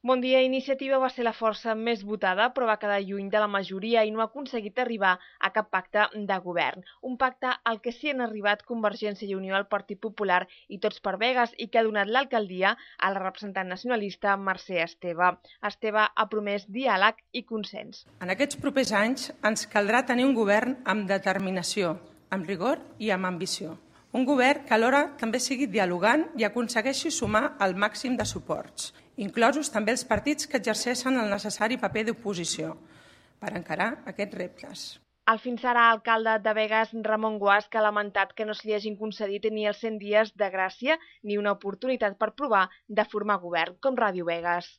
Bon dia, Iniciativa va ser la força més votada, però va quedar lluny de la majoria i no ha aconseguit arribar a cap pacte de govern. Un pacte al que sí han arribat Convergència i Unió, el Partit Popular i Tots per Begues i que ha donat l'alcaldia a la representant nacionalista Mercè Esteve. Esteve ha promès diàleg i consens. En aquests propers anys ens caldrà tenir un govern amb determinació, amb rigor i amb ambició. Un govern que alhora també sigui dialogant i aconsegueixi sumar el màxim de suports, inclosos també els partits que exerceixen el necessari paper d'oposició, per encarar aquests reptes. El fins ara alcalde de Begues, Ramon Guasch, ha lamentat que no se li hagin concedit ni els 100 dies de gràcia ni una oportunitat per provar de formar govern, com Ràdio Begues.